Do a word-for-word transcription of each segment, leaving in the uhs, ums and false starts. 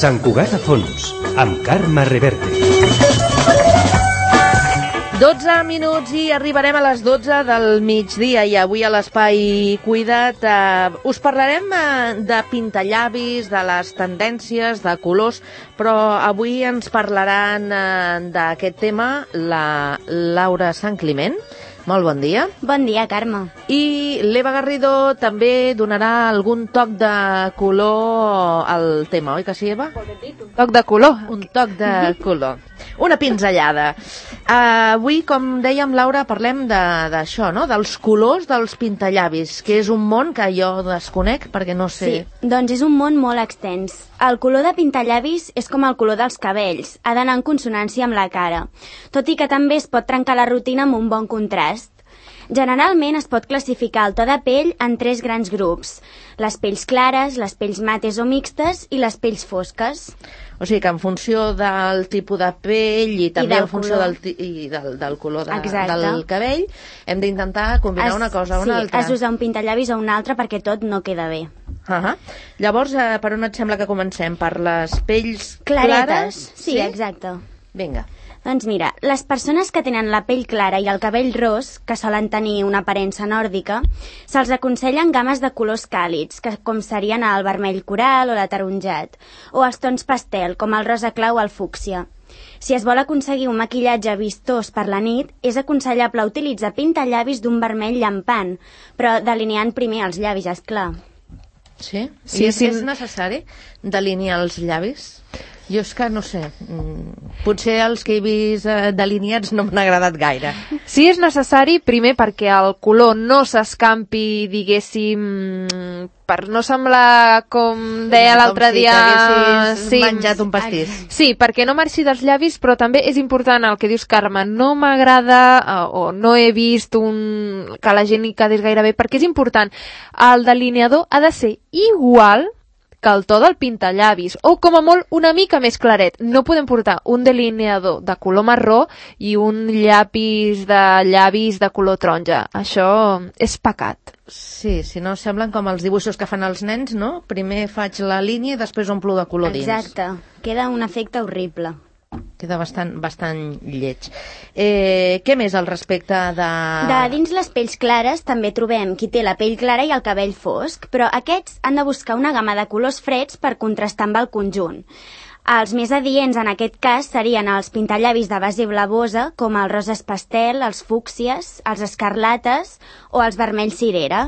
Sant Cugat a fons, amb Carme Reverte. dotze minuts i arribarem a les dotze del migdia i avui a l'Espai Cuida't eh, us parlarem eh, de pintallavis, de les tendències, de colors, però avui ens parlaran eh, d'aquest tema la Laura Santcliment. Molt bon dia. Bon dia, Carme. I l'Eva Garrido també donarà algun toc de color al tema, oi que sí, Eva? Un toc de color. Un toc de color. Una pinzellada. Uh, avui, com dèiem, Laura, parlem d'això, no? Dels colors dels pintallavis, que és un món que jo desconec perquè no sé... Sí, doncs és un món molt extens. El color de pintallavis és com el color dels cabells, ha d'anar en consonància amb la cara, tot i que també es pot trencar la rutina amb un bon contrast. Generalment es pot classificar el to de pell en tres grans grups: les pells clares, les pells mates o mixtes i les pells fosques. O sigui que en funció del tipus de pell i també I en funció color. del, i del, del color de, Exacte. del cabell hem d'intentar combinar Es- una cosa o sí, una altra. has d'usar un pintallavis o un altre perquè tot no queda bé. Uh -huh. Llavors, eh, per on et sembla que comencem? Per les pells Claretes, clares? sí, exacte. Vinga. Doncs mira, les persones que tenen la pell clara i el cabell ros, que solen tenir una aparença nòrdica, se'ls aconsellen games de colors càlids, que com serien el vermell coral o l'ataronjat, o els tons pastel, com el rosa clau o el fúcsia. Si es vol aconseguir un maquillatge vistós per la nit, és aconsellable utilitzar pintallavis d'un vermell llampant, però delineant primer els llavis, és clar. Sí? Sí, I és, sí. és necessari delinear els llavis? Jo és que no sé, mm, potser els que he vist eh, delineats no m'han agradat gaire. Sí, és necessari, primer perquè el color no s'escampi, diguéssim, per no semblar, com deia l'altre Com si dia... t'haguessis sí, menjat un pastís. Sí, perquè no marxi dels llavis, però també és important el que dius, Carme, no m'agrada eh, o no he vist un... que la gent hi quedés gaire bé, perquè és important, el delineador ha de ser igual que el to del pintallavis, o com a molt una mica més claret. No podem portar un delineador de color marró i un llapis de llavis de color taronja. Això és pecat. Sí, si no semblen com els dibuixos que fan els nens, no? Primer faig la línia i després omplo de color dins. Exacte, queda un efecte horrible. Queda bastant, bastant lleig. Eh, què més al respecte de... De dins les pells clares també trobem qui té la pell clara i el cabell fosc, però aquests han de buscar una gamma de colors freds per contrastar amb el conjunt. Els més adients en aquest cas serien els pintallavis de base blavosa, com els roses pastel, els fúcsies, els escarlates o els vermells cirera.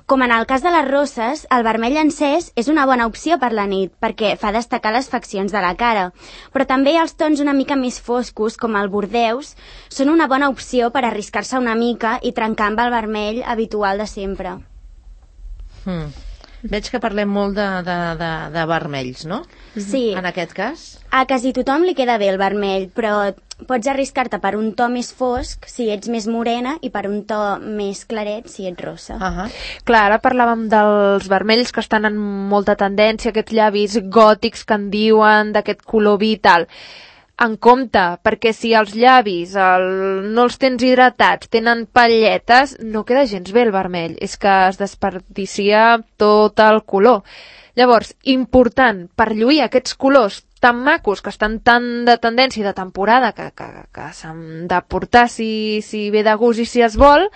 Com en el cas de les rosses, el vermell encès és una bona opció per la nit, perquè fa destacar les faccions de la cara. Però també els tons una mica més foscos, com el bordeus, són una bona opció per arriscar-se una mica i trencar amb el vermell habitual de sempre. Hmm. Veig que parlem molt de, de, de, de vermells, no? Sí, En aquest cas? a quasi tothom li queda bé el vermell, però pots arriscar-te per un to més fosc si ets més morena i per un to més claret si ets rossa. Uh -huh. Clar, ara parlàvem dels vermells que estan en molta tendència, aquests llavis gòtics que en diuen, d'aquest color vi i tal. En compte, perquè si els llavis el, no els tens hidratats, tenen palletes, no queda gens bé el vermell. És que es desperdicia tot el color. Llavors, important, per lluir aquests colors tan macos, que estan tan de tendència i de temporada, que, que, que s'han de portar si, si ve de gust i si es vol,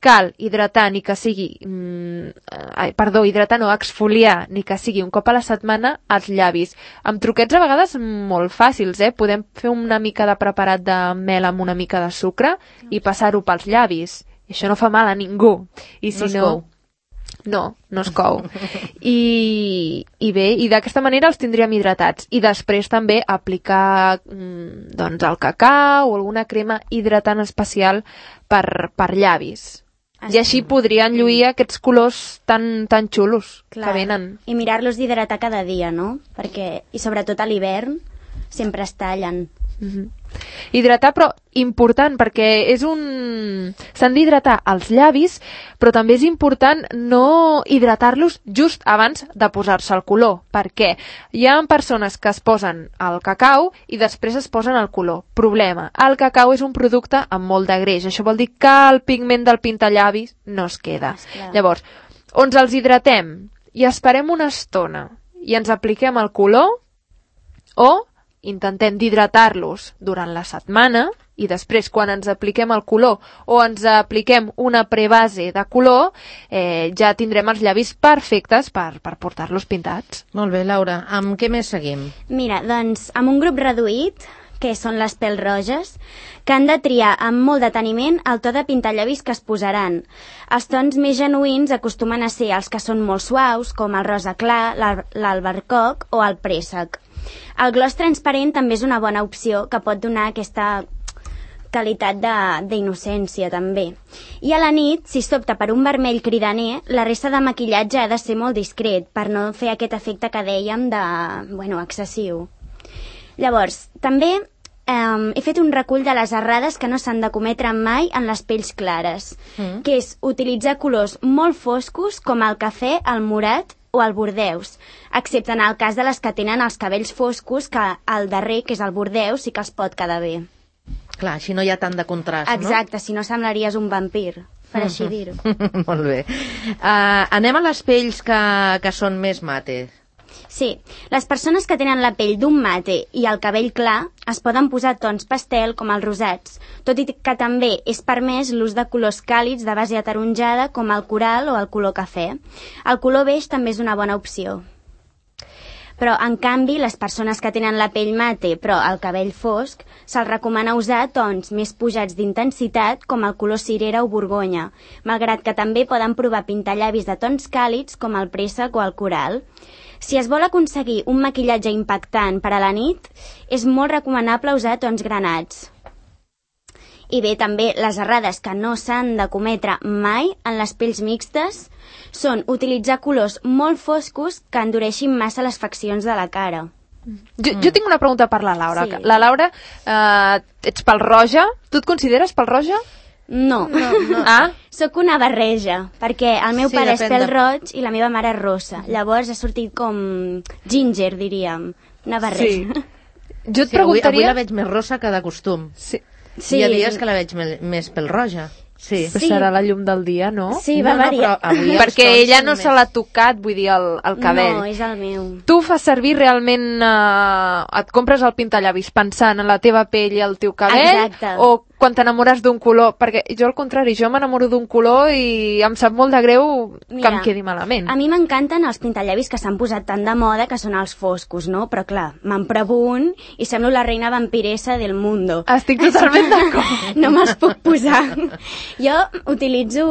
cal hidratar ni que sigui, mm, ai, perdó, hidratar no, exfoliar ni que sigui un cop a la setmana els llavis. Amb truquets a vegades molt fàcils, eh? Podem fer una mica de preparat de mel amb una mica de sucre i passar-ho pels llavis. I això no fa mal a ningú. I si No es no, cou. no, no es cou. I, i bé, i d'aquesta manera els tindríem hidratats. I després també aplicar mm, doncs el cacau o alguna crema hidratant especial per, per llavis. I així podrien lluir aquests colors tan, tan xulos Clar. que venen. I mirar-los d'hidratar cada dia, no? Perquè, i sobretot a l'hivern, sempre es tallen. Mm-hmm. Hidratar, però important, perquè és un... s'han d'hidratar els llavis, però també és important no hidratar-los just abans de posar-se el color. Per què? Hi ha persones que es posen el cacau i després es posen el color. Problema, el cacau és un producte amb molt de greix. Això vol dir que el pigment del pintallavis no es queda. Esclar. Llavors, on els hidratem i esperem una estona i ens apliquem el color, O intentem d'hidratar-los durant la setmana i després, quan ens apliquem el color o ens apliquem una prebase de color, eh, ja tindrem els llavis perfectes per, per portar-los pintats. Molt bé, Laura. Amb què més seguim? Mira, doncs, amb un grup reduït, que són les pèls roges, que han de triar amb molt deteniment el to de pintallavis que es posaran. Els tons més genuïns acostumen a ser els que són molt suaus, com el rosa clar, l'albercoc o el préssec. El gloss transparent també és una bona opció que pot donar aquesta qualitat d'innocència també. I a la nit, si s'opta per un vermell cridaner, la resta de maquillatge ha de ser molt discret per no fer aquest efecte que dèiem de, bueno, excessiu. Llavors, també eh, he fet un recull de les errades que no s'han de cometre mai en les pells clares, mm. que és utilitzar colors molt foscos com el cafè, el morat o el bordeus, excepte en el cas de les que tenen els cabells foscos, que el darrer, que és el bordeus, sí que els pot quedar bé. Clar, així no hi ha tant de contrast, no? Exacte, si no semblaries un vampir, per mm-hmm. així dir-ho. Molt bé. Uh, anem a les pells que, que són més mate. Sí, les persones que tenen la pell d'un mate i el cabell clar es poden posar tons pastel com els rosats, tot i que també és permès l'ús de colors càlids de base ataronjada com el coral o el color cafè. El color beix també és una bona opció. Però, en canvi, les persones que tenen la pell mate però el cabell fosc, se'ls recomana usar tons més pujats d'intensitat com el color cirera o borgonya, malgrat que també poden provar pintallavis de tons càlids com el préssec o el coral. Si es vol aconseguir un maquillatge impactant per a la nit, és molt recomanable usar tons granats. I bé, també les errades que no s'han de cometre mai en les pells mixtes són utilitzar colors molt foscos que endureixin massa les faccions de la cara. Jo, mm. jo tinc una pregunta per la Laura. Sí. La Laura, eh, ets pel roja? Tu et consideres pel roja? No, no, no. Ah? Sóc una barreja, perquè el meu Sí, pare és depèn pèl de- roig i la meva mare és rossa. Llavors ha sortit com ginger, diríem. Una barreja. Sí. Jo et Sí, avui, avui preguntaria... la veig més rossa que de costum. Sí. Sí. Hi ha dies que la veig me- més pel roja. Sí. Però Sí. serà la llum del dia, no? Sí, No, va no, variar. però avui els Perquè tons ella són no més- se l'ha tocat, vull dir, el, el cabell. No, és el meu. Tu fas servir realment... Eh, et compres el pintallavis pensant en la teva pell i el teu cabell? Exacte. O quan t'enamores d'un color? Perquè jo al contrari, jo m'enamoro d'un color i em sap molt de greu que Mira, em quedi malament. A mi m'encanten els pintallavis que s'han posat tan de moda, que són els foscos, no? Però clar, me'n provo un i semblo la reina vampiressa del mundo. Estic totalment d'acord. No me'ls puc posar. Jo utilitzo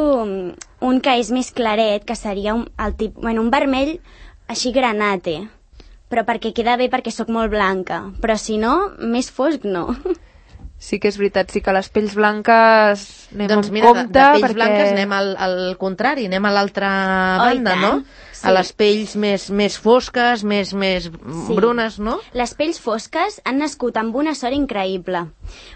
un que és més claret, que seria un, el tip, bueno, un vermell així granate, però perquè queda bé perquè sóc molt blanca. Però si no, més fosc no. Sí que és veritat, sí que les pells blanques anem Doncs amb mira, de, compte. de pells perquè... blanques anem al, al contrari, anem a l'altra Oh, i banda, tant. no? Sí. A les pells més, més fosques, més, més Sí. brunes, no? Les pells fosques han nascut amb una sort increïble,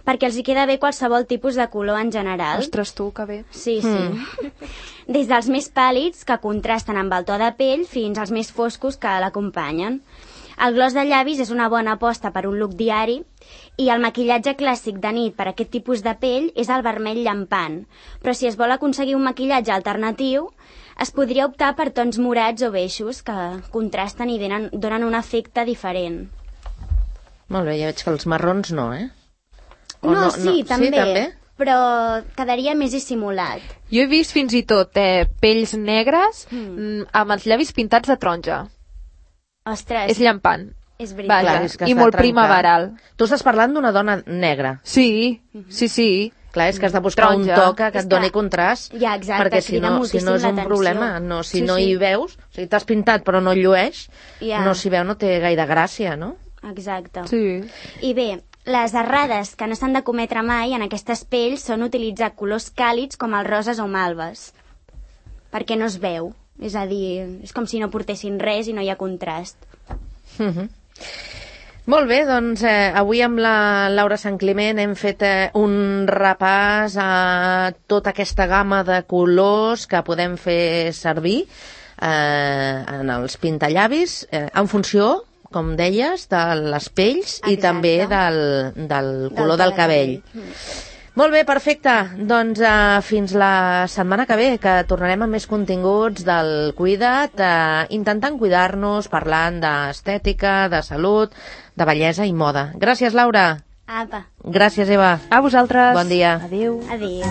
perquè els hi queda bé qualsevol tipus de color en general. Ostres, tu, que bé. Sí, sí. Des dels més pàl·lids, que contrasten amb el to de pell, fins als més foscos que l'acompanyen. El gloss de llavis és una bona aposta per un look diari i el maquillatge clàssic de nit per a aquest tipus de pell és el vermell llampant. Però si es vol aconseguir un maquillatge alternatiu, es podria optar per tons morats o beixos que contrasten i donen, donen un efecte diferent. Molt bé, ja veig que els marrons no, eh? O No, sí, també, Sí, també? però quedaria més dissimulat. Jo he vist fins i tot eh, pells negres mm. amb els llavis pintats de taronja. Ostres, És llampant. és veritat. Vaja, Clar, és que i està molt trencat. primaveral. Tu estàs parlant d'una dona negra. Sí, sí, sí. Clar, és que has de buscar Taronja. un to que, que És et doni que- contrast, Ja, exacte, perquè si crida no, si no moltíssim és un l'atenció. problema. No, si Sí, no sí. hi veus, o sigui, t'has pintat però no llueix, Ja. no s'hi veu, no té gaire gràcia, no? Exacte. Sí. I bé, les errades que no s'han de cometre mai en aquestes pells són utilitzar colors càlids com els roses o malves, perquè no es veu. És a dir, és com si no portessin res i no hi ha contrast. Uh -huh. Molt bé, doncs eh, avui amb la Laura Sant Climent hem fet eh, un repàs a tota aquesta gamma de colors que podem fer servir eh, en els pintallavis eh, en funció, com deies, de les pells i Exacte. també del, del color del, to de cabell. Mm. Molt bé, perfecte. Doncs uh, fins la setmana que ve, que tornarem amb més continguts del Cuida't, uh, intentant cuidar-nos, parlant d'estètica, de salut, de bellesa i moda. Gràcies, Laura. Apa. Gràcies, Eva. A vosaltres. Bon dia. Adéu. Adéu.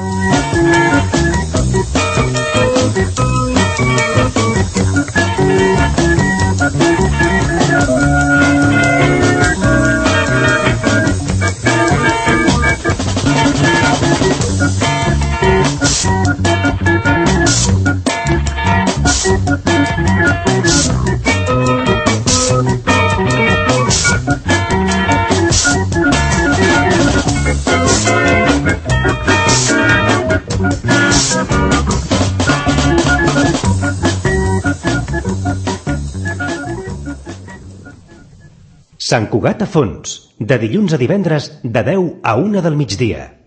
Sant Cugat a fons, de dilluns a divendres de deu a una del migdia.